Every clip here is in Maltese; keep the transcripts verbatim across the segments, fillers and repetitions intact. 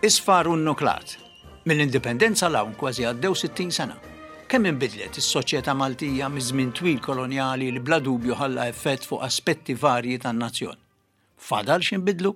Isfar u nnuklat. Mill-indipendenza 'l hawn kważi għaddew sittin sena. Kemm inbidlet is-soċjetà Maltija miż-żmien twil kolonjali li bla dubju ħalla effett fuq aspetti varji tan-nazzjon. Fadal x'inbidlu?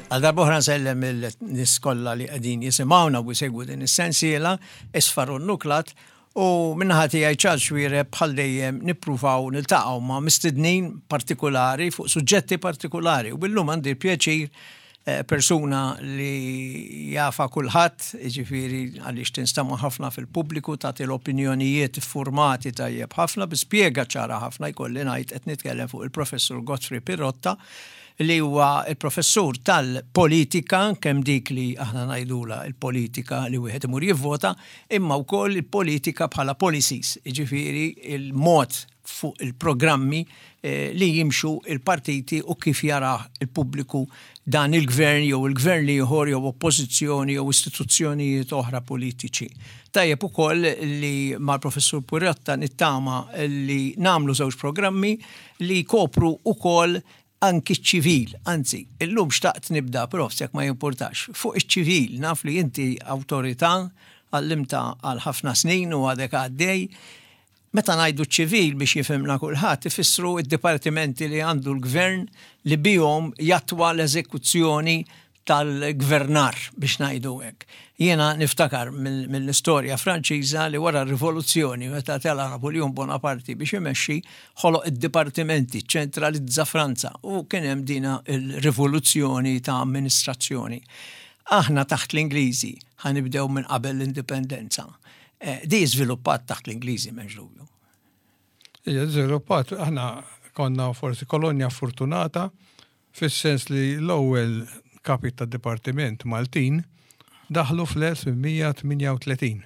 Għal darb'oħra nsellem il-nies kollha li qegħdin jisimgħuna u jsegwu din is-sensiela Isfar u Nuklat u min-naħa tiegħi Charles Xuereb bħal dejjem nippruvaw niltaqgħu ma' mistednin partikolari fuq suġġetti partikolari u billum għandi l-pjaċir eh, persuna li jafa kulħadd, jiġifieri għaliex tinstama' ħafna fil-pubbliku, tagħti l-opinjonijiet iffurmati tajjeb ħafna, bi spjega ċara ħafna, jkolli ngħid qed nitkellem fuq il-Professur Godfrey Pirotta, li huwa il-professur tal-politika, kemm dik li aħna ngħidula il-politika li wieħed imur jivvota, imma wkoll il-politika bħala policies, jiġifieri il-mod fuq il-programmi, eh, li jimxu il-partiti u kif jara il-pubbliku dan il-gvern jew il-gvern li ieħor jew oppożizzjoni jew istituzzjonijiet oħra politiċi. Tajjeb ukoll li mal-professur Pirotta nittama li nagħmlu żewġ programmi li jkopru ukoll anki ċ-ċivil, anzi, illum xtaqt nibda, prof, jekk ma jimpurtax, fuq iċ-ċivil, naf li inti awtorità għallimta għal ħafna snin u għadek għaddej. Meta ngħidu ċivil biex jifhimna kulħadd, ifissru id-dipartimenti li għandu l-gvern li bihom jattwa l-eżekuzzjoni tal-gvernar biex ngħidu hekk. Jiena niftakar mill-, mill-istorja Franċiża li wara r-rivoluzzjoni meta tela Napoleon Bonaparte biex imexxi ħoloq id-dipartimenti, ċentralizza Franza u kien hemm dina il-rivoluzzjoni ta' amministrazzjoni. Aħna taħt l-Ingliżi ħanibdew minn qabel l-indipendenza. Eh, di żviluppat taħt l-Ingliżi m'hemmx dubju. Ija, żviluppat, aħna konna forsi kolonja fortunata fis-sens li l-ewwel kapi ta' dipartiment Maltin daħlu fl-elf mija tmienja u tletin.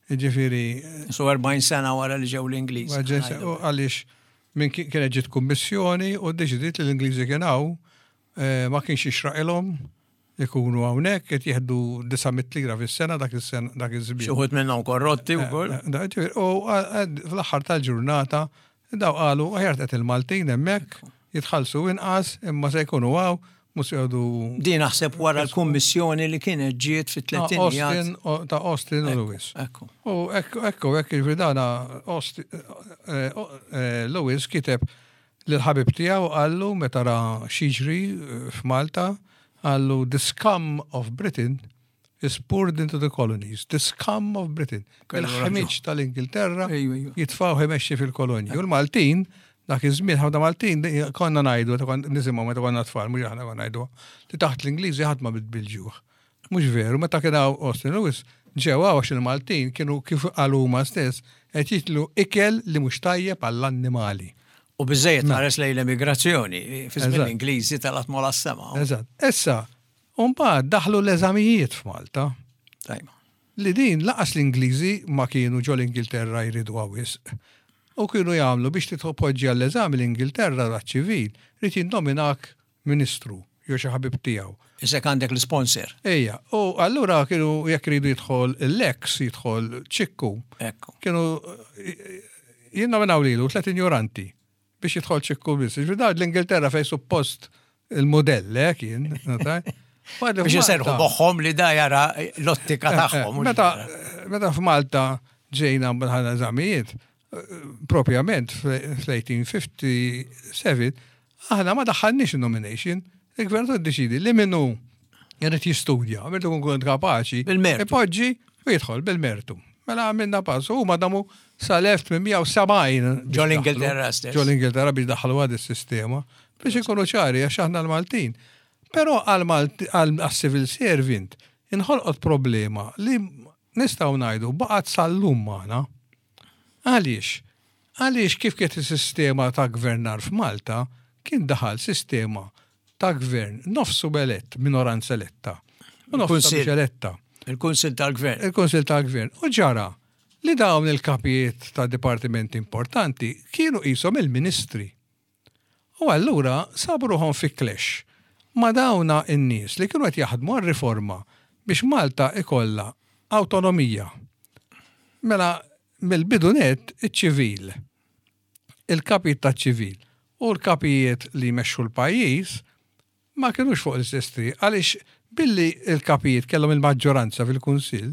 Jiġifieri, So erbgħin sena wara li ġew l-Ingliżi. Wara ġew se-, u għaliex minn ki-, kienet ġiet kummissjoni u ddeċidiet li l-Ingliżi kien hawn, eh, ma kienx jixraqilhom ikunu hawnhekk qed jieħdu disa' mitt lira fis-sena dak is-sena, dak iż-żmien. Xi wħud minnhom korrotti Eh, wkoll. eh, da, ġifieri, u għad, fl-aħħar tal-ġurnata daw qalu aħjar qed il-Maltin hemmhekk jitħallsu inqas imma se jkunu hawn mhux jgħodu. Din naħseb wara l-kummissjoni li kienet ġiet fit-tletinijiet. Austin, o, ta' Austin u Ekku, Lewis. ekku. U ekku, ekku, ekku, jiġifieri dana Austin, eh, eh, eh, Lewis kiteb lil ħabib tiegħu qallu meta ra x'jiġri, eh, f'Malta, qallu the scum of Britain is poured into the colonies. The scum of Britain. Kellu raġun. Il-ħmiġ tal-Ingilterra Ejju, ejju. jitfgħu imexxi fil-kolonji. U l-Maltin, dak iż-żmien ħafna Maltin konna ngħidu, meta konna nisimgħu meta konna tfal, mhux aħna konna ngħidu, li taħt l-Ingliżi ħadd ma bil-ġuħ. Mhux veru, meta kien hawn Austin Lewis, ġew hawn għax il-Maltin kienu kif qalu huma stess qed jitlu ikel li mhux tajjeb għall-annimali. U biżejjed Mela. ħares lejn l-emigrazzjoni, fi żmien Eżatt. l-Ingliżi talat mola s-sema. Eżatt. Issa, u mbagħad daħlu l-eżamijiet f'Malta. Tajba. Li din laqas l-Ingliżi ma kienu ġol Ingilterra jridu wisq. U kienu jagħmlu biex titpoġġi għall-eżami l-Ingilterra għaċ-ċivil, rid jinnominak ministru jew xi ħabib tiegħu. Isek għandek l-sponsor. Ejja, u allura kienu jekk iridu jidħol l-ex, jidħol Ċikku. Ekku. Kienu jinnominaw lilu tliet ignoranti biex jidħol Ċikku biss. Ġifieri dan l-Ingilterra fejn suppost il-modell, eh, kien, notaj? Wara li Biex iserħu f'Malta- moħħhom li da jara l-ottika Eh, eh, tagħhom, mhux Meta jara. meta f'Malta ġejna bħala eżamijiet, propjament fl-eighteen fifty-seven, aħna ma daħħalniex il-nomination, il-gvern iddeċieda li minnu jrid jistudja, minn tkun kont kapaċi, Bil-mertu. ipoġġi u jidħol bil-mertu. Mela għamilna pass, u ma damu sal-elf tmien mija u sebgħin biex Ġol Ingilterra daħlu. stess. Ġol Ingilterra biex daħlu għad is-sistema, biex ikunu ċari għax aħna l-Maltin. Però għal-civil servant inħolqot problema li nistgħu ngħidu baqgħet sal-lum magħna. Għaliex? Għaliex kif kienet is-sistema ta' gvernar f'Malta kien daħal sistema ta' gvern nofsu elett, minoranza eletta. U nofsu Il-Kunsill. mhux eletta. Il-Kunsill tal-Gvern. Il-Kunsill tal-Gvern. U ġara li dawn il-kapijiet ta' dipartimenti importanti kienu qishom il-ministri. U allura sabu ruħhom fi clash Ma dawna in-nies li kienu qed jaħdmu għal-riforma biex Malta ikollha autonomija. Mela mill-bidu net iċ-ċivil, il-kapijiet taċ-ċivil u l-kapijiet li jmexxu l-pajjiż ma kienux fuq l-istess triq għaliex billi il-kapijiet kellhom il-maġġoranza fil-Kunsill,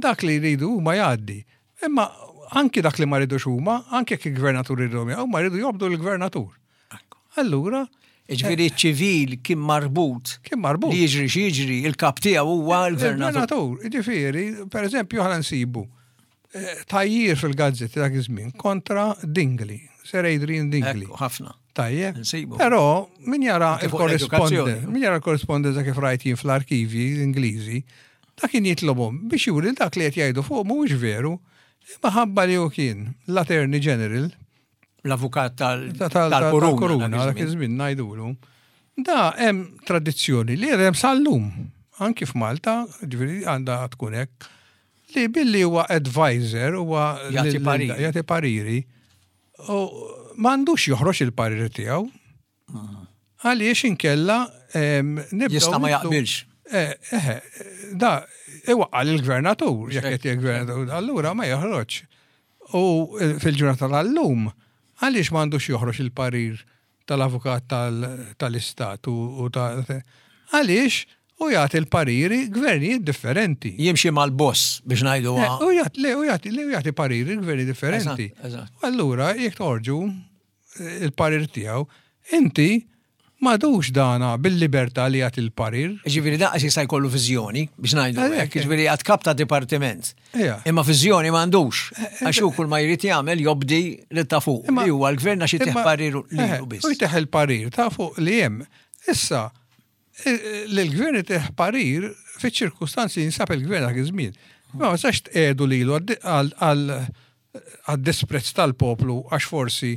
dak li jridu huma jgħaddi. Imma anki dak li ma rridux huma, anke jekk il-gvernatur jridu huma jridu jobdu l-gvernatur. Allura, Ġifieri ċivil kien marbut. Kien marbut. Li jiġri x'jiġri, il-kap tiegħu huwa l-gvernatur. Il-gvernatur, ġifieri, per eżempju, ħa nsibu eh, tajjir fil-gazzetti dak iż-żmien kontra Dingli, Sir Adrian Dingli. Ekku, ħafna. Tajjeb. Nsibu. Però min jara Anke fuq il-korrespondenza, l-edukazzjoni. min jara l-korrespondenza kif rajt jien fl-arkivi Ingliżi, dak kien jitlobhom biex juri dak li qed jgħidu fuq mhuwiex veru. Imma ħabba li hu kien l-Attorney General L-avukat ta- tal- tal-kuruna. tal-kuruna, dak dak iż-żmien. iż-żmien ngħidulu. Da hemm tradizzjoni li hemm sal-lum, anki f'Malta, ġifieri għandha tkun hekk, li billi huwa advisor huwa Jagħti lil- pariri. jagħti pariri, u m'għandux joħroġ il-pariri tiegħu. Għaliex inkella em, nibdew Jista' ma nitlu- jaqbilx. Eh, eh, da, iwaqqa l-gvernatur, jekk qed il-gvernatur, allura ma joħroġ. U eh, fil-ġurnata tal-lum, għaliex m'għandux joħroġ il-parir tal-avukat tal- tal-istat u u ta' għaliex u jagħti l-pariri gvernijiet differenti. Jimxi mal-boss biex ngħidu Eh, U jagħti le, u jagħti le, u jagħti pariri gverni differenti. Eżatt, eżatt. U Allura jekk toħorġu eh, il-parir tiegħu, inti m'għadux dana bil-libertà li jagħti l-parir. Ġifieri daqs jista' jkollu viżjoni biex ngħidu Għalhekk, hekk, ġifieri għad kap ta' dipartiment. Ija. Imma viżjoni m'għandux. Għax hu kull ma jrid jagħmel jobdi li ta' fuq. Imma- Li huwa l-gvern għax itih Imma- parir eh, lilu biss. U jtih il-parir ta' fuq li hemm. Issa, eh, l-gvern itih parir fiċ-ċirkustanzi jinsab il-gvern dak iż-żmien. Ma ma sax tqedu lilu għal għad-disprezz tal-poplu għax forsi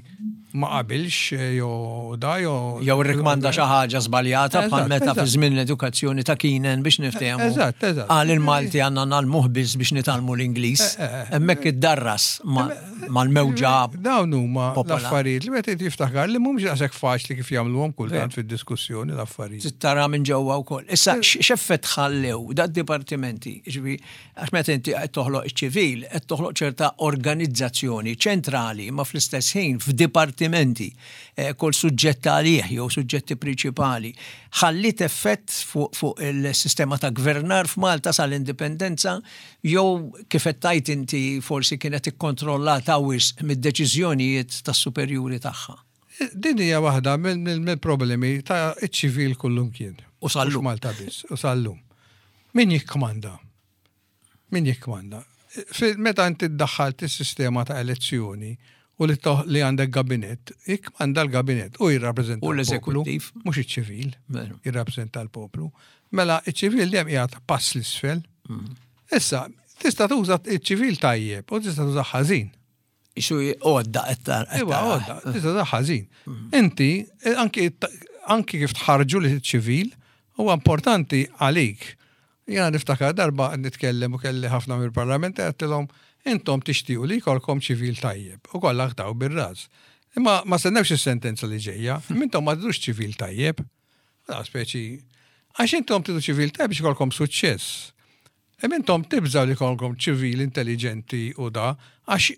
ma qabilx eh, jew da jew Jew irrikmanda xi ħaġa żbaljata bħal Eżatt, meta fi eżatt. żmien l-edukazzjoni ta' Kinen biex niftehmu. Eżatt, eżatt. Qal il-Malti għandna nagħlmuh biss biex nitgħallmu l-Ingliż. Eh, eh, eh. Hemmhekk iddarras ma- mal-mewġa. Dawn huma Popola. l-affarijiet li meta jiftakar li mhumiex daqshekk faċli kif jagħmluhom kultant fid-diskussjoni l-affarijiet. Tara minn ġewwa wkoll. Issa x'effett ħallew da dipartimenti, ġifieri għax meta inti qed toħloq iċ-ċivil, qed toħloq ċerta organizzazzjoni ċentrali, ma fl-istess ħin f'dipartimenti, eh, kull suġġett għalih jew suġġetti prinċipali. Ħallit effett fuq fuq il-sistema ta' gvernar f'Malta sal-indipendenza jew kif qed tgħid inti forsi kienet ikkontrollata wisq mid-deċiżjonijiet tas-superjuri tagħha. Din hija waħda mill- mill- mill-problemi ta' iċ-ċivil kullum kien. U sal-lum. Mhux Malta biss, u sal-lum. Min jikkmanda? Min jikkmanda? Fi- Meta inti ddaħħalt is-sistema ta' elezzjoni u li toħ- li għandek gabinett, jikkmanda l-gabinett u jirrappreżenta U l-poplu, l-eżekuttiv. mhux iċ-ċivil, Veru. jirrappreżenta l-poplu. Mela iċ-ċivil dejjem qiegħed pass l-isfel. Mm. Issa, tista' tuża iċ-ċivil tajjeb u tista' tuża ħażin. Isu għodda qed tar- qed Iwa, tara. għodda, tista' ta' ħażin. Inti, eh, anki anki kif tħarġu li ċivil, huwa importanti għalik. Jena niftakar darba nitkellem u kelli ħafna mill-parlament għedtilhom intom tixtiequ li jkollkom ċivil tajjeb u kollha taw bir-ras. Imma ma stennewx is-sentenza li ġejja, intom ma tridux ċivil tajjeb. Da speċi għax intom tridu ċivil tajjeb biex ikollkom suċċess. Imma intom tibżaw li jkollkom ċivil intelligenti u da, għax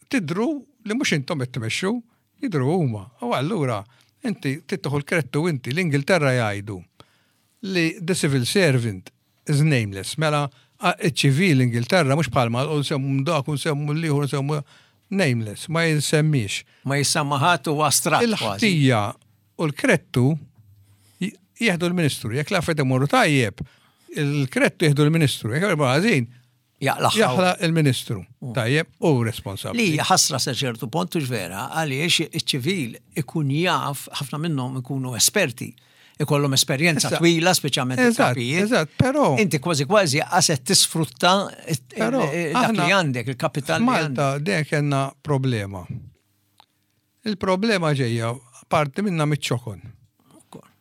tidru li mhux intom qed tmexxu, jidru huma. U allura inti tittuħu l-krettu inti l-Ingilterra jgħidu li the civil servant is nameless. Mela a- iċ-ċivil Ingilterra mhux bħalma u nsemmu dak u nsemmu l-ieħor nsemmu nameless, ma jinsemmix. Ma jissamma ħadd u astratt kważi. Il-ħtija u l-krettu j- jieħdu l-ministru. Jekk l-affarijiet imorru tajjeb, il-krettu jieħdu l-ministru. Jekk imorru ħażin, Jaqlaħħaw. jaħla il-ministru. Tajjeb u responsabbli. Li hija ħasra sa ċertu punt hux vera għaliex iċ-ċivil ikun jaf, ħafna minnhom ikunu esperti, ikollhom esperjenza Issa- twila, speċjalment Eżatt, il-kapijiet. eżatt, però- Inti kważi kważi qaset tisfrutta it- Però il- dak aħna li għandek, il-kapital li għandek. Malta dejjem kellna problema. Il-problema ġejja parti minna miċ-ċokon.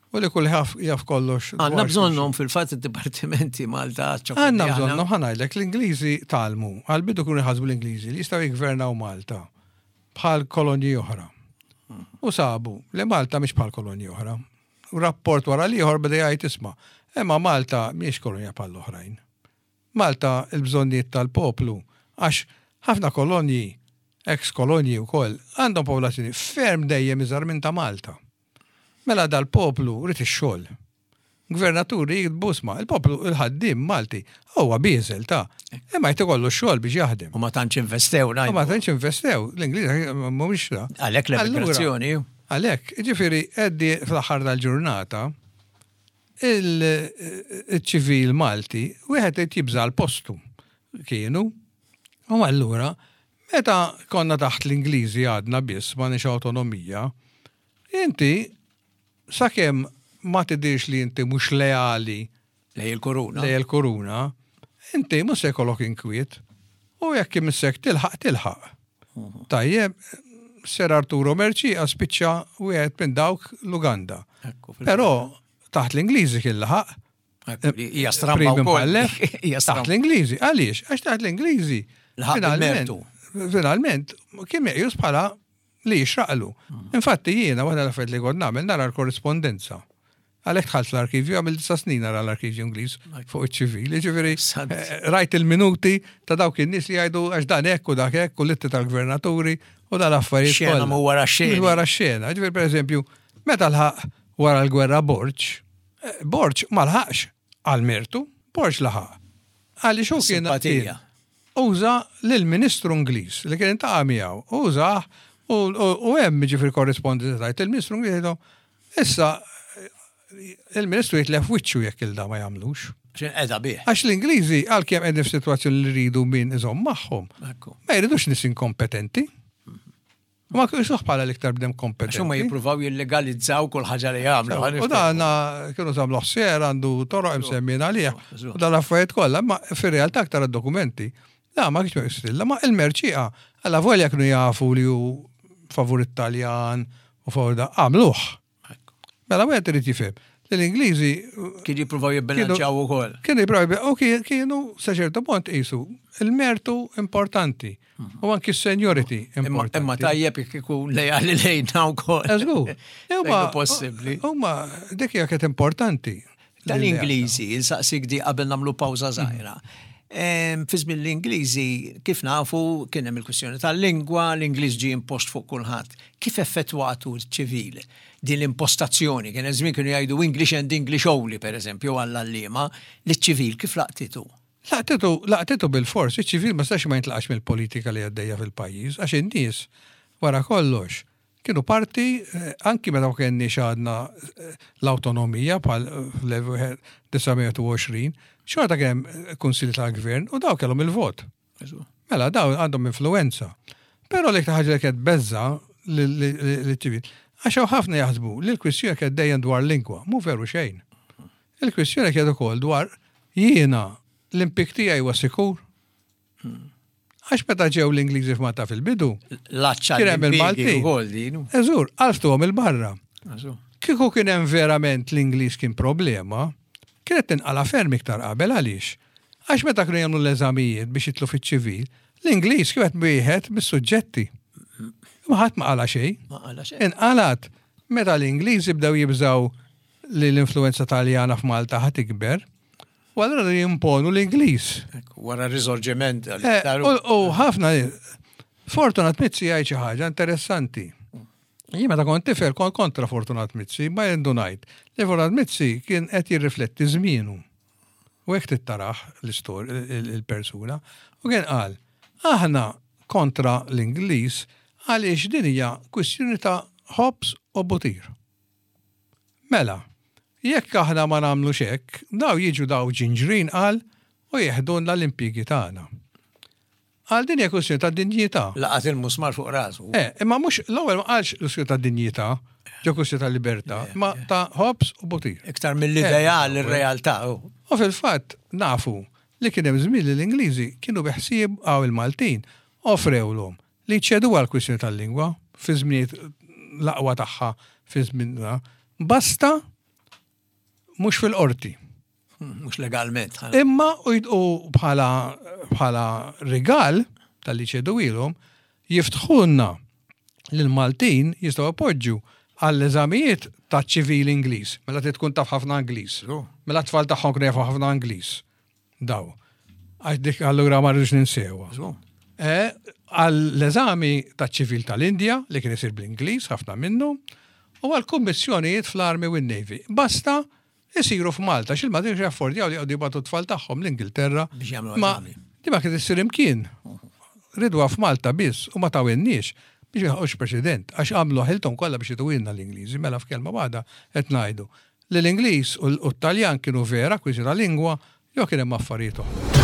U li kull jaf, jaf kollox. Għandna dwar bżonnhom fil-fatt id-dipartimenti Malta. ċokon Għanna li aħna. bżonnhom ħa ngħidlek l-Ingliżi tgħallmu, għal-bidu kunu jħasbu l-Ingliżi li jistgħu jgvernaw Malta bħal kolonji oħra. U sabu li Malta mhix bħal kolonji oħra. Rapport wara l-ieħor beda jgħid isma'. Imma Malta mhijiex kolonja bħal oħrajn. Malta il-bżonnijiet tal-poplu, għax ħafna kolonji, ex-kolonji wkoll, għandhom popolazzjoni ferm dejjem iżgħar minn ta' Malta. Mela dal-poplu ried ix-xogħol. Gvernaturi jiktbu isma', il-poplu il-ħaddiem Malti huwa bieżel ta' imma jrid ikollu x-xogħol biex jaħdem. U ma tantx investew, U ma ngħidu. tantx investew, l-Ingliż mhumiex da. Għalhekk l-emigrazzjoni. Għalhekk, ġifieri Eddie fl-aħħar tal-ġurnata, il-ċivil Malti, wieħed qed jibża l-postu kienu. U allura, meta konna taħt l-Ingliżi għadna biss ma nix autonomija, inti sakemm ma tidirx li inti mhux leali Lej il-kuruna. lej il-kuruna, inti mhux se jkollok inkwiet. U jekk imissek tilħaq tilħaq. Tajjeb, Sir Arturo Mercieca spiċċa wieħed minn dawk l-Uganda. Ekku, fil- Però taħt l-Ingliżi kien laħaq. Ekku, li Hija stramba Prim wkoll. imħallef, Hija Taħt stramba. l-Ingliżi. Għaliex? Għax taħt l-Ingliżi. Laħaq Finalment, bil-mertu. finalment, kien meqjus bħala li jixraqlu. Infatti jiena waħda l-affarijiet li kont nagħmel nara l-korrispondenza. Għalhekk dħalt l-arkivju, għamil disa snin nara l-arkivju Ingliż fuq iċ-ċivili, ġifieri Sant. eh, rajt il-minuti ta' dawk in-nies li jgħidu għax dan hekk u dak hekk u l-ittri tal-gvernaturi u dal-affarijiet. Xena kollha. mu wara x-xeni. Mhu wara x-xena. Ġifieri pereżempju, meta lħaq wara l-gwerra Borg, eh, Borg ma lħaqx għal mertu, Borg laħaq. Għaliex hu kien Simpatija. uża lill-Ministru Ingliż li kien intaqa' miegħu, użah u u- u hemm ġifieri korrispondenza tajt il-Ministru Ingliż jgħidu, issa il-Ministru jitlef wiċċu jekk il-da ma jagħmlux. X'in qeda bih. Għax l-Ingliżi għalkemm qegħdin f'sitwazzjoni li rridu min iżomm magħhom, Ekku. ma jridux nies inkompetenti. U ma kienux bħala l-iktar bniedem Għax huma kompetenti. jippruvaw jillegalizzaw kull ħaġa li jagħmlu. U dan kienu samluħ ser għandu toroq imsemmin għalih. Żgur. U dal-affarijiet kollha, ma fir-realtà aktar id-dokumenti. La, ma kienx meqjus ma il-Mercieca, alla volja kienu jafu li hu favur Italjan u favur da, għamluh. Ekku. Mela wieħed irid jifhem li l-Ingliżi Kien jippruvaw jibbilanċjaw ukoll. kienu jippruvaw u kien- kienu sa ċertu punt qisu il-mertu importanti u anki s-seniority Imma importanti. imma tajjeb jekk ikun lejali lejna wkoll. Eżgur. Fejn possibbli. Huma dik hija kienet importanti. Tal-Ingliżi, insaqsik di qabel nagħmlu pawża żgħira. Em, Fi żmien l-Ingliżi, kif nafu, kien hemm il-kwistjoni tal-lingwa, l-Ingliż ġie impost fuq kulħadd. Kif effettwatu ċ-ċivil din l-impostazzjoni? Kien hemm żmien kienu jgħidu English and English only, per eżempju, għall-għalliema, li ċ-ċivil kif laqtitu? Laqtitu, laqtitu bil-fors, iċ-ċivil ma stax ma jintlaqax mill-politika li għaddejja fil-pajjiż, għax in-nies wara kollox kienu parti, eh, anki meta ma kenniex għadna eh, l-autonomija bħal fl-elf disa' mija u għoxrin, xorta kien hemm kunsilli tal-gvern u daw kellhom il-vot. Mela, daw għandhom influenza. Però l-iktar ħaġa li kienet beża li ċivil, għax hawn ħafna jaħsbu li l-kwistjoni kienet dejjem dwar lingwa, mhu veru xejn. Il-kwistjoni kienet ukoll dwar jiena l-impjieg tiegħi huwa sikur. Għax meta ġew l-Ingliżi f'Malta fil-bidu, Laċċa Kien hemm il-Maltin. ukoll din. eżur, għalftuhom il-barra. Eżur. Kieku kien hemm verament l-Ingliż kien problema, kienet tinqala ferm iktar qabel għaliex. Għax meta kienu jagħmlu l-eżamijiet biex jitlu fiċ-ċivil, l-Ingliż kienet wieħed mis-suġġetti. Ma ħadd ma qala xejn. Ma qala xejn. Inqalat meta l-Ingliżi bdew jibżaw li l-influenza Taljana f'Malta ħa tikber, u allura jimponu l-Ingliż. Ekku, Wara r-risorġiment. Eh, U u ħafna Fortunat Mizzi jgħid xi ħaġa interessanti. Jien meta kont tifel kont kontra Fortunat Mizzi, ma jendunajt li Fortunat Mizzi kien qed jirrifletti żmienu. U hekk tittaraħ l-istorja il-persuna. U kien qal, aħna kontra l-Ingliż għaliex din hija kwistjoni ta' ħobż u butir. Mela, jekk aħna ma nagħmlux hekk, daw jiġu daw ġinġrin qal u jeħdunna l-impjiegi tagħna. Għal din hija kwistjoni ta' dinjità. Laqat il-musmar fuq rasu. Eh, imma mhux l-ewwel ma qalx l-kwistjoni ta' dinjità, ġo kwistjoni ta' libertà, ma ta' ħobż u butir. Iktar mill-ideal, ir-realtà. oh. U fil-fatt nafu li kien hemm żmien li l-Ingliżi kienu beħsieb għaw il-Maltin offrewlhom li ċedu għal kwistjoni tal-lingwa fi żminijiet l-aqwa tagħha fi żminna, basta mhux fil-qorti. Mhux legalment. Imma u jid- u bħala bħala rigal tal-li ċedu ilhom jiftħulna li l-Maltin jistgħu appoġġu għall-eżamijiet ta' ċivil Ingliż, mela trid tkun taf ħafna Ingliż. Mela t-tfal tagħhom kienu jafu ħafna Ingliż. Daw. Għax dik allura ma rridux ninsewha. Għall-eżami ta' ċivil tal-Indja li kien isir bl-Ingliż ħafna minnu, u għall-kummissjonijiet fl-Army u n-Navy. Basta isiru f'Malta, xil-Maltin jaffordjaw li għadu jibagħtu t-tfal tagħhom l-Ingilterra. Ma di ma kien issir imkien. Ridwa f'Malta biss u ma tawinniex biex jħoqx president, għax għamlu ħiltom kollha biex jituwilna l-Ingliżi, mela f'kelma waħda qed ngħidu li l-Ingliż u t-Taljan kienu vera kwiżi ta' lingwa jew kien hemm affarijiet oħra.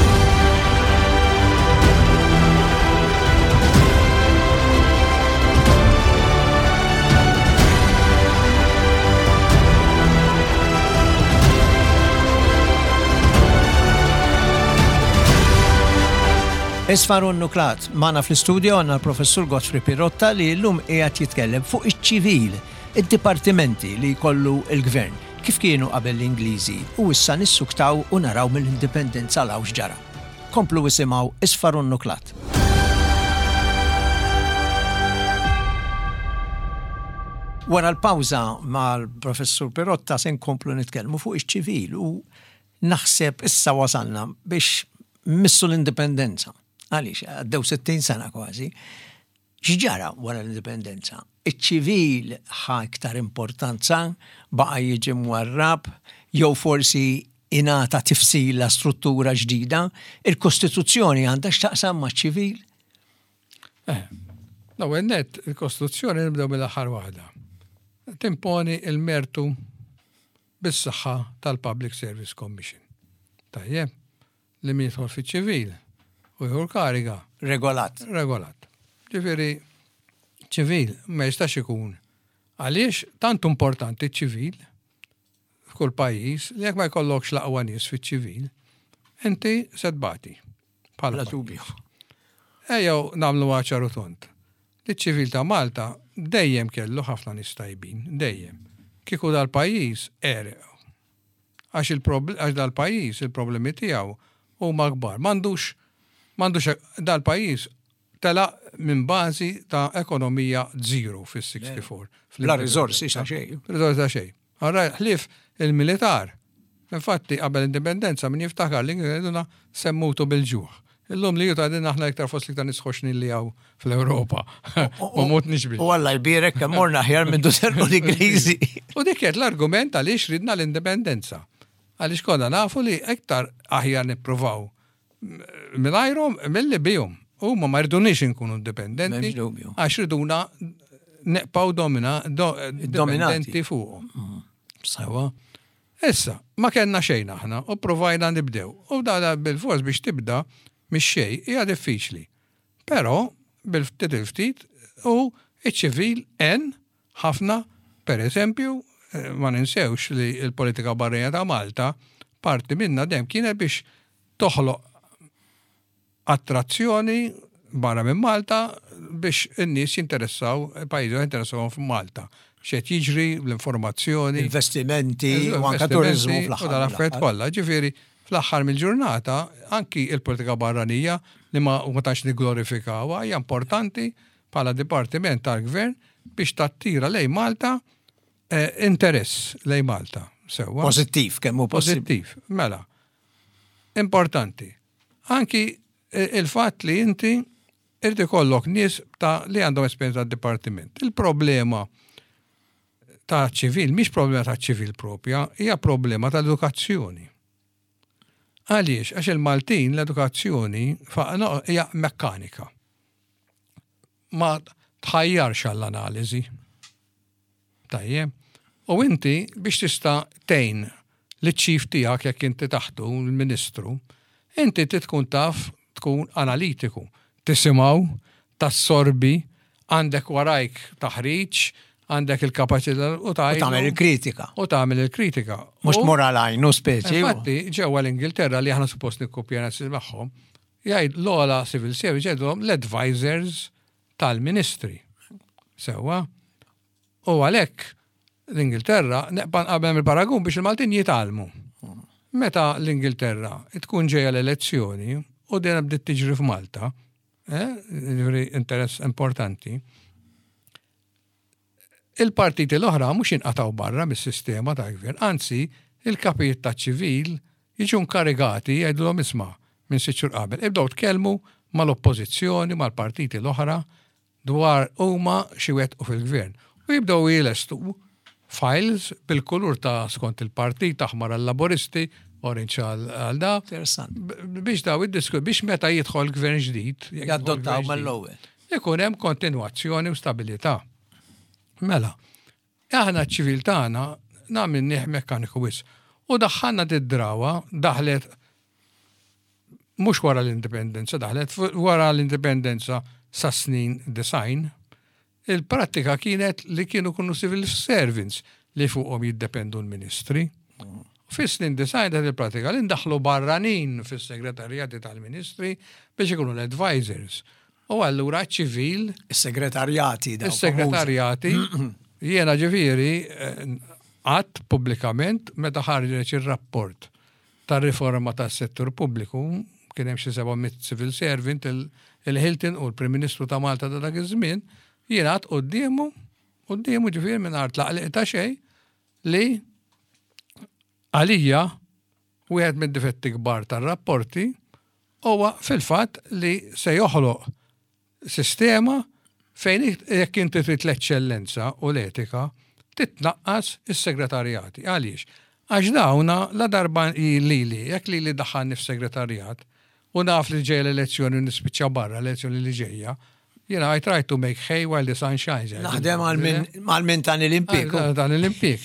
Isfar u Nuklat, magħna fl-istudio għandna l-professur Godfrey Pirotta li llum qiegħed jitkellem fuq iċ-ċivil, id-dipartimenti li jkollu l-gvern, kif kienu qabel l-Ingliżi u issa nissuktaw u naraw mill-indipendenza 'l hawn x'ġara. Komplu isimgħu Isfar u Nuklat. Wara l-pawża mal-professur Pirotta se nkomplu nitkellmu fuq iċ-ċivil u naħseb issa wasalna biex missu l-indipendenza. Għaliex, għaddew sittin sena kważi. X'ġara wara l-indipendenza? Iċ-ċivil ħa iktar importanza, baqa' jiġi mwarrab, jew forsi ingħata tifsila struttura ġdida. Il-Kostituzzjoni għandha x'taqsam maċ-ċivil? Eh, l-ewwel nett, il-Kostituzzjoni nibdew mill-aħħar waħda. Timponi il-mertu bis-saħħa tal-Public Service Commission. Tajjeb, li min jidħol fiċ-ċivil u jieħu l-kariga. Regolat. Regolat. Ġifieri, ċivil ma jistax ikun. Għaliex tant importanti ċivil f'kull pajjiż li jekk ma jkollokx l-aqwa nies fiċ-ċivil, inti se tbati. Bla dubju. Ejjew nagħmlu ċar u tond. Li ċivil ta' Malta dejjem kellu ħafna nies tajbin, dejjem. Kieku dal-pajjiż għereq. Għax il-proble-, għax dal-pajjiż il-problemi tiegħu huma kbar. M'għandux, m'għandux dal-pajjiż tela minn bażi ta' ekonomija zero fis-sixty-four. La riżorsi ta' xejn. Riżorsi ta' xejn. Allora ħlief il-militar. Infatti qabel l-indipendenza min jiftakar li kienu semmutu bil-ġuħ. Illum li juta għadin aħna iktar fost li nisħoxni li għaw fl-Europa. Ma mutniex bil. U Alla jbierek kemm morna aħjar minn dusernu l-Ingliżi. U dik kienet l-argument għaliex ridna l-indipendenza. Għaliex konna nafu li iktar aħjar nippruvaw mingħajrhom milli bihom. Huma ma rridunix inkunu indipendenti. M'hemmx dubju. Għax riduna neqpaw domina, do, Dominati. dipendenti fuqhom. Sewa. Issa, ma kellna xejn aħna u provajna nibdew. U dala bil-fors biex tibda mix xejn hija diffiċli. Però bil-ftit il-ftit u iċ-ċivil en ħafna, per eżempju, eh, ma ninsewx li l-politika barrija ta' Malta parti minna dejjem kienet biex toħloq attrazzjoni barra minn Malta biex in-nies jinteressaw, pajjiżi jinteressaw f'Malta. X'qed jiġri, l-informazzjoni. Investimenti, Eżatt, u anke investimenti turizmu u fl-aħħar dal-affarijiet mill-aħħar. kollha. Ġifieri, fl-aħħar mill-ġurnata, anki il-politika barranija li ma, ma tantx nigglorifikawha hija importanti bħala dipartiment tal-gvern biex tattira lejn Malta, eh, interess lejn Malta. Sewwa. Pożittiv, kemm hu possibbli. Pożittiv, mela. Importanti. Anki, eh, il-fatt li inti irid ikollok nies ta' li għandhom esperjenza tad-dipartiment. Il-problema ta' ċivil, mhix problema ta' ċivil propja, hija problema ta' edukazzjoni. Għaliex? Għax il-Maltin l-edukazzjoni fa-, no, hija mekkanika. Ma tħajjarx għall-analiżi. Tajjeb. U inti biex tista' tgħin liċ-ċif tiegħek jekk inti taħtu l-Ministru, inti trid tkun taf tkun analitiku. Tisimgħu, tassorbi, għandek warajk taħriġ, għandek il-kapaċità u U tagħmel il-kritika. U tagħmel il-kritika. Mhux U tmur għal għajnu speċi. Infatti, ġewwa l-Ingilterra li aħna suppost nikkopjana magħhom, jgħid l-ogħla civil service jgħidulhom l-advisors tal-ministri. Sewwa. U għalhekk l-Ingilterra neqba' nqabel il-paragun biex il-Maltin jitgħallmu. Meta l-Ingilterra tkun ġejja l-elezzjoni u dejjem bdiet tiġri f'Malta, eh, ġifieri interess importanti, Il-partiti l-oħra mhux jinqatgħu barra mis-sistema tal-gvern, anzi, il-kapijiet taċ-ċivil jiġu nkarigati, jgħidulhom, "Isma', minn sitt xhur qabel, ibdew tkellmu mal-oppożizzjoni, mal-partiti l-oħra dwar huma xi wettqu fil-gvern." U jibdew jilestu files bil-kulur ta' skont il-partit, aħmar għal-Laboristi, orange għal da. Interessant. Biex daw id-disku, biex meta jidħol gvern ġdid, jekk jidħol Jaddottaw gvern ġdid, mal-ewwel. ikun hemm kontinwazzjoni u stabilità. Mela, aħna ċ-ċivil tagħna għamilnieh mekkaniku wisq. U daħħalna d-drawa, daħlet mhux wara l-indipendenza, daħlet fu- wara l-indipendenza sa snin disgħin, il-prattika kienet li kienu kunu civil servants li fuqhom jiddependu l-ministri. Fis-snin disgħin dat il-pratika li ndaħlu barranin fis-segretarjati tal-ministri biex ikunu l-advisors. U allura ċivil Is-segretarjati daw. Is-segretarjati, jiena ġifieri għedt pubblikament meta ħarġet ir-rapport tar-riforma tas-settur pubbliku, kien hemm xi seba' mitt civil servant, il- il-Hilton u l-Prim Ministru ta' Malta ta' dak iż-żmien, jiena għedt quddiemu, quddiemu ġifieri mingħajr tlaqliq ta' xejn, li għalija wieħed mid-difetti kbar tar-rapporti huwa fil-fatt li se joħloq sistema fejn jekk inti trid l-eċċellenza u l-etika titnaqqas is-segretarjati. Għaliex? Għax dawna la darba lili, jekk lili daħħalni f'segretarjat u naf li ġejja l-elezzjoni u nispiċċa barra l-elezzjoni li ġejja, jiena I try to make hay while the sun shines. Naħdem għal min tani l-impjieg. Għal dan l-impjieg.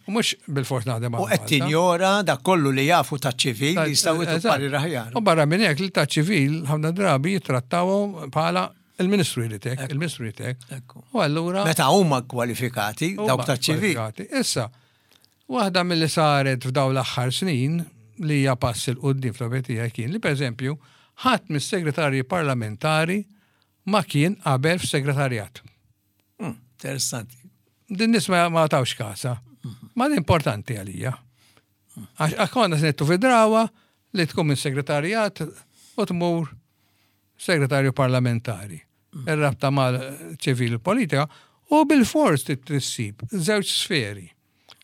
U mhux bil-fors naħdem U għal qed Malta. tinjora dak kollu li jafu ta' ċivil li jistgħu Eżatt. parir aħjar. U barra minn hekk li ta' ċivil ħafna drabi jittrattawhom bħala il-ministru jritek, il-ministru jritek. Ekku. U allura Meta huma kwalifikati huma dawk ta' ċivil. kwalifikati. Issa, waħda mill-li saret f'daw l-aħħar snin li hija pass 'il quddiem fl-opinjoni kien li, pereżempju, ħadd mis-segretarji parlamentari ma kien qabel f'segretarjat. Mm, Interessanti. Din nies ma ma tawx kasa. Ma din importanti għalija. Għax konna snettu fi drawa li tkun minn segretarjat u tmur segretarju parlamentari. Ir-rabta mal-ċivil u politika u bil-fors tissib żewġ sferi.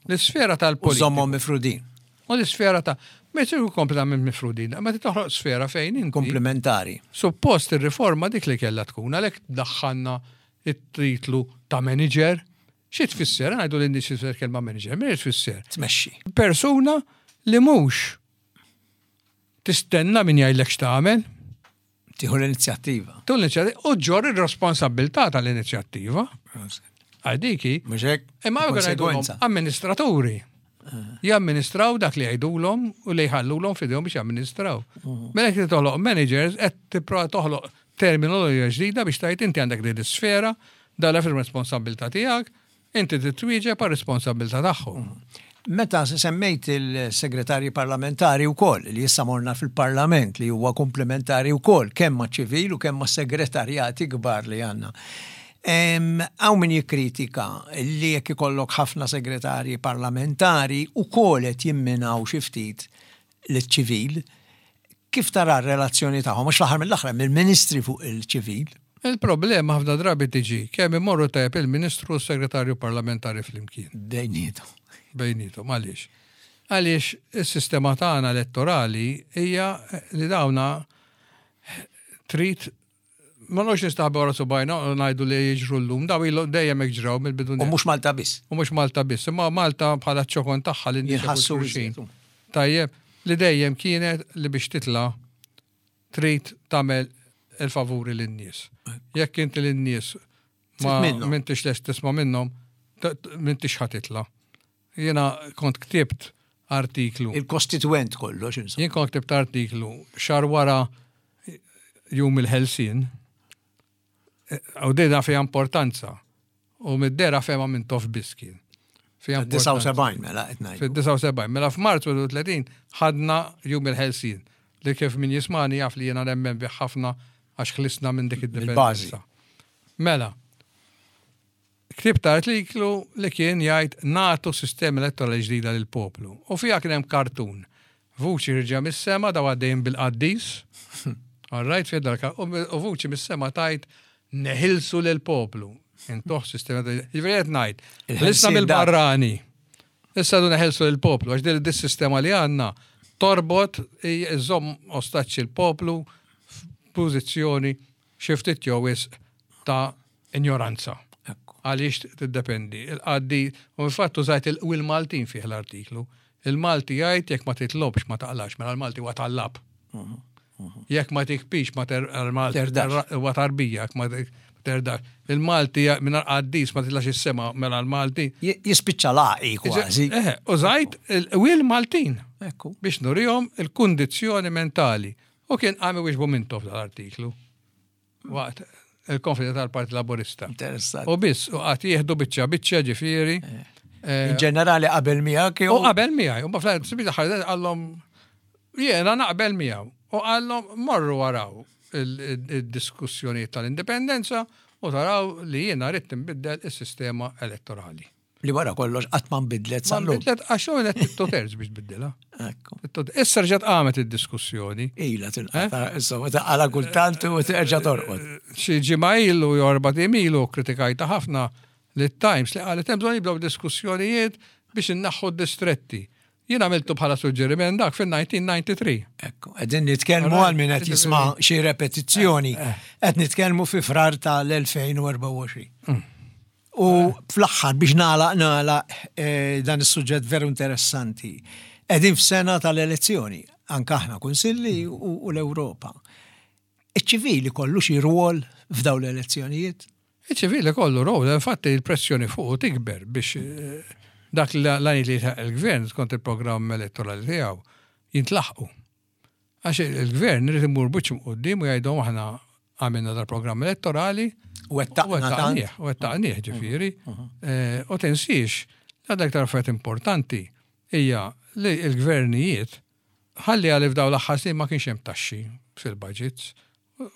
L-sfera U tal-politika żommhom mifrudin, u l-sfera ta' ma jsiru kompletament mifrudin, ma toħloq sfera fejn inti komplementari. Suppost ir-riforma dik li kellha tkun, għalhekk daħħalna it-titlu ta' manager. Xi tfisser? Ngħidu lin nies tfisser kelma manager, min tfisser? Tmexxi. Persuna li mhux tistenna min jgħidlek x'tagħmel, Tieħu l-inizjattiva. tu l-inizjattiva u ġġorr ir-responsabilità tal-inizjattiva. Għadiki, Mhux hekk? imma għu Konsegwenza. amministraturi. Jamministraw dak li jgħidulhom u li jħallulhom f'idejhom biex jamministraw. Mela jekk toħloq managers qed tipprova toħloq terminoloġija ġdida biex tgħid inti għandek din is-sfera, dala fil-responsabilità tiegħek, inti titwieġeb għar-responsabilità tagħhom. Meta semmejt il-segretarji parlamentari u koll, li issa morna fil-parlament li huwa komplementari u koll, kemm ma' ċivil u kemm ma' segretarjati kbar li għandna. Hawn min jikkritika li jekk ikollok ħafna segretarji parlamentari u koll qed jimminaw xi ftit l-ċivil, kif tara r-relazzjoni tagħhom? Mhux l-aħħar mill-aħħar mill-ministri fuq il-ċivil. Il-problema ħafna drabi tiġi kemm imorru tajjeb il-Ministru u s-Segretarju Parlamentari flimkien. Bejnietom. Bejnietom, għaliex? Għaliex is-sistema tagħna elettorali hija li dawna trid ma nox nistaħbu wara subajna u ngħidu li jiġru llum, daw ilu dejjem hekk ġraw mill-bidu. U mhux Malta biss. U mhux Malta biss, imma Malta bħala ċokon tagħha li nies Jinħassu xulxin. iżjed. Tajjeb, li dejjem kienet li biex titla trid tagħmel il-favuri lin-nies. Jekk inti lin-nies ma Trid minnhom. m'intix lest tisma' minnhom, t- t- m'intix ħa titla. Jiena kont ktibt artiklu. Il-kostituent kollox, insomma. Jien kont ktibt artiklu xahar wara jum il-Ħelsien. U dina fija importanza. U mid-dera fema minn tof biskin. Fija importanza. disgħa u sebgħin mela qed ngħidu. Fid-disgħa u sebgħin. Mela f'Marzu tletin ħadna jum il-Ħelsien. Li kif min jismani jaf li jena nemmen bih ħafna għax ħlisna minn dik id-dipendenza. Mela, ktibt artiklu li kien jgħid nagħtu sistema elettorali ġdida lil poplu. U fija kien hemm kartun. Vuċi ħierġa mis-sema daw għaddejn bil-qaddis. All right, fija dal u u vuċi mis-sema tgħid neħilsu lil poplu. Intuh sistema ta' ġifieri qed ngħid. Ħlisna mill-barrani. Issa du neħelsu l-poplu, għax din dis-sistema li għandna torbot iżomm ostaċċi l-poplu f'pożizzjoni xi ftit jew wisq ta' ignoranza. Għaliex tiddependi. Il-qaddi, u infatti użajt il-Maltin fih l-artiklu. Il-Malti jgħid jekk ma titlobx ma taqlax, mela l-Malti huwa tallab. Jekk ma tikbix ma huwa tarbija, jekk ma terdax. Il-Malti minn qaddis ma titlax is-sema mela l-Malti. Jispiċċa laqi kważi. Eh, użajt il-Maltin biex nurihom il-kundizzjoni mentali. U kien għami wieġbu Mintoff dal-artiklu. Waqt il-konferenza tal-Partit Laburista. Interessant. U biss, u għat jieħdu biċċa biċċa ġifieri. In ġenerali qabel miegħek U qabel miegħi, u bafla qallhom jiena naqbel miegħu. U qallhom morru waraw il-diskussjoni tal-indipendenza u taraw li jiena rrid nbiddel is-sistema elettorali. Li wara kollox qatt ma nbidlet Ma nbidlet għax hu qed two terz biex tbiddilha. Issa rġgħet qamet id-diskussjoni. Ila tinqata' insomma taqala kultant u terġa' torqod. Xi ġimgħa ilu jew erba' ilu kritikajta ħafna li Times li qalet hemm bżonn jibdew diskussjonijiet biex innaħħu d-distretti. Jien għamiltu bħala suġġeriment dak fil-elf disa' mija u tnejn u disgħin. Ekku, qegħdin nitkellmu għal min qed jisma' xi repetizzjoni, qed nitkellmu fi Frar tal-elfejn u erbgħa u għoxrin. U fl-aħħar biex nagħlaq nagħlaq dan is-suġġett veru interessanti. Qegħdin f'sena tal-elezzjoni, anke aħna kunsilli u l-Ewropa. Iċ-ċivili kollu xi rwol f'dawn l-elezzjonijiet? Iċ-ċivili kollu rwol, infatti il-pressjoni fuq tikber biex dak l-għani li il-gvern skont il-programm elettorali tiegħu jintlaħqu. Għax il-gvern irid imur buċ quddiem u jgħidhom aħna għamilna dal-programm elettorali U wettaqna u wettaqnieh ġifieri. U tinsiex, għadha aktar affarijiet importanti hija li l-gvernijiet ħalli għalli f'daw l-aħħar snin ma kienx hemm taxxi fil-budgets.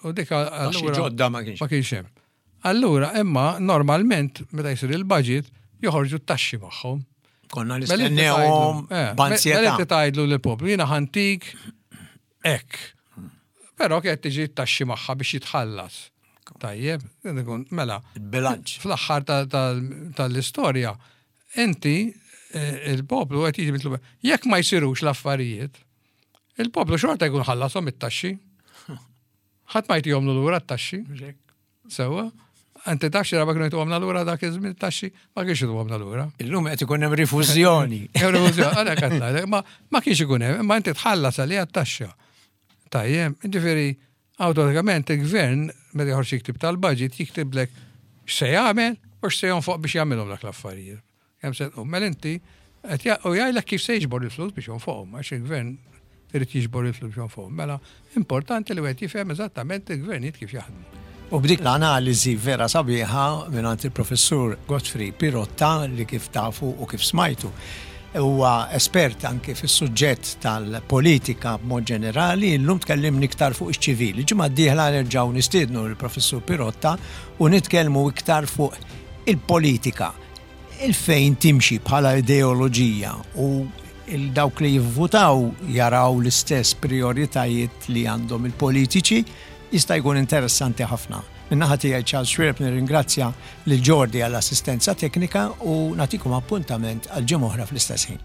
U dik allura ġodda ma kienx. Ma kienx hemm. Allura, imma normalment meta jsir il-budget joħorġu t-taxxi magħhom. Konna nistennewhom b'ansjetà. Mela inti tgħidlu lill-poplu jiena ħa ntik hekk. Però kienet tiġi t-taxxi magħha biex jitħallas. Tajjeb, mela. Il-bilanċ. Fl-aħħar tal-istorja, inti il-poplu qed jiġi mitlub. Jekk ma jsirux l-affarijiet, il-poplu xorta jkun ħallasom it-taxxi. Ħadd ma jtihomlu lura t-taxxi. Sewwa. Inti taf xi darba kienu jtuhomna lura dak iż-żmien taxxi, ma kienx jtuhomna lura. Illum qed ikun hemm rifużjoni. Rifużjoni, għalhekk qed ngħidlek, ma ma kienx ikun hemm, imma inti tħallas għalija t-taxxa. Tajjeb, ġifieri awtomatikament il-gvern meta joħroġ jiktib tal-budget jiktiblek x'se jagħmel u x'se jonfoq biex jagħmilhom dak l-affarijiet. Kemm se tqum, mela inti qed u jgħidlek kif se jiġbor il-flus biex jonfoqhom, għax il-gvern irid jiġbor il-flus biex jonfoqhom. Mela importanti li wieħed jifhem eżattament il-gvernijiet kif jaħdmu. U b'dik l-analiżi vera sabiħa minn il-professur Godfrey Pirotta li kif tafu u kif smajtu huwa espert anke fis-suġġett tal-politika b'mod ġenerali, illum tkellimni iktar fuq iċ-ċivili. Ġimgħa d-dieħla nerġgħu nistiednu l-professur Pirotta u nitkellmu iktar fuq il-politika, il-fejn timxi bħala ideoloġija u il-dawk li jivvutaw jaraw l-istess prioritajiet li għandhom il-politiċi jista' jkun interessanti ħafna. Min-naħa tiegħi Charles Xuereb nirringrazzja lil Jordi għall-assistenza teknika u nagħtikom appuntament għal ġimgħa oħra fl-istess ħin.